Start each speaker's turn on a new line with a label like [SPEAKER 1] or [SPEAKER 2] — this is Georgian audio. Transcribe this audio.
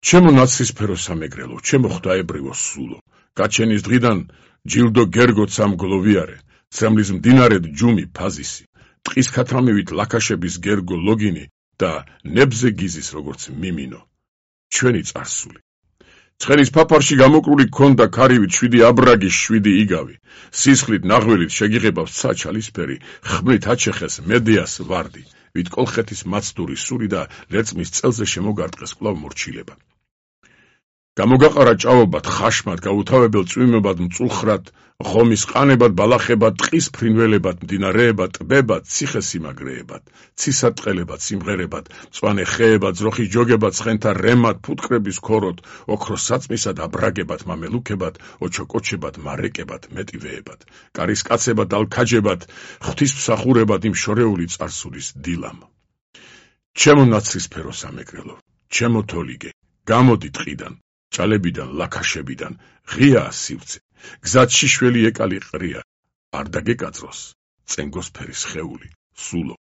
[SPEAKER 1] ჩემო ნაცრისფერო სამეგრელო, ჩემო ღვთაებრივო სულო, გაჩენის დღიდან ჯილდო გერგოც ამ გლოვიარე, ცრემლის მდინარედ ჯუმი ფაზისი, ტყის ქათამივით ლაქაშების გერგო ლოგინი და ნებზე გიზის როგორც მიმინო, ჩვენი წარსული. ცხენის ფაფარში გამოკრული გქონდა ქარივით 7 აბრაგი 7 იგავი, სისხლით ნაღველით შეგიღებავს ცა ჩალისფერი, ხმლით აჩეხეს მედეას ვარდი, ვით კოლხეთის მაცდური სული და ლერწმის წელზე შემოგარტყეს კვლავ მორჩილება. გამოგაყარა ჭაობად, ხაშმად, გაუთავებელ წვიმებად, მწულხრად, ღომის ყანებად, ბალახებად, ტყის ფრინველებად, მდინარეებად, ტბებად, ციხესიმაგრეებად, ცისატყელებად, სიმღერებად, მწვანე ხეებად, ძროხის ჯოგებად, ცხენთა რემად, ფუტკრების ქოროდ, ოქროს საწმისად, აბრაგებად, მამელუქებად, ოჩოკოჩებად, მარეკებად, მეტივეებად, კარის კაცებად, ალქაჯებად, ღვთისმსახურებად იმ შორეული წარსულის დილამ. ჩემო ნაცრისფერო სამეგრელო, ჩემო თოლიგე, გამოდი ტყიდან, ჭალებიდან, ლაქაშებიდან, ღიაა სივრცე, გზად შიშველი ეკალი ყრია, არ დაგეკაწროს, წენგოსფერი სხეული, სულო.